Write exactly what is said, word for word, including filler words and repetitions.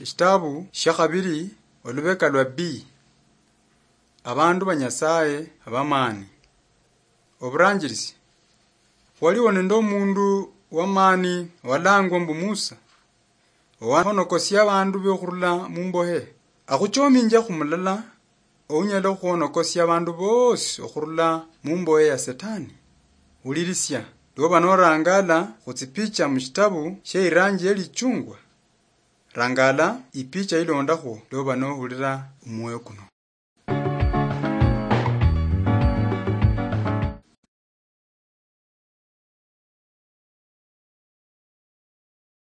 Eshitabu shiakhabili, olubeka lwa B. Abandu ba Nyasaye abamani. Oburanjirisi. Khwaliwo nende omundu wamani owalangwa mbu Musa, owahonokosia abandu be khurula mumbohe. Akhuchominjia khumulala ounyala okhuhonokosia abandu bosi okhurula mumbohe ya Setani. Wulirisia, lwoba norangala khutsipicha mushitabu shie iranji yelichungwa. Rangala ipicha ilondakhwo lwoba nohulira omwoyo kuno.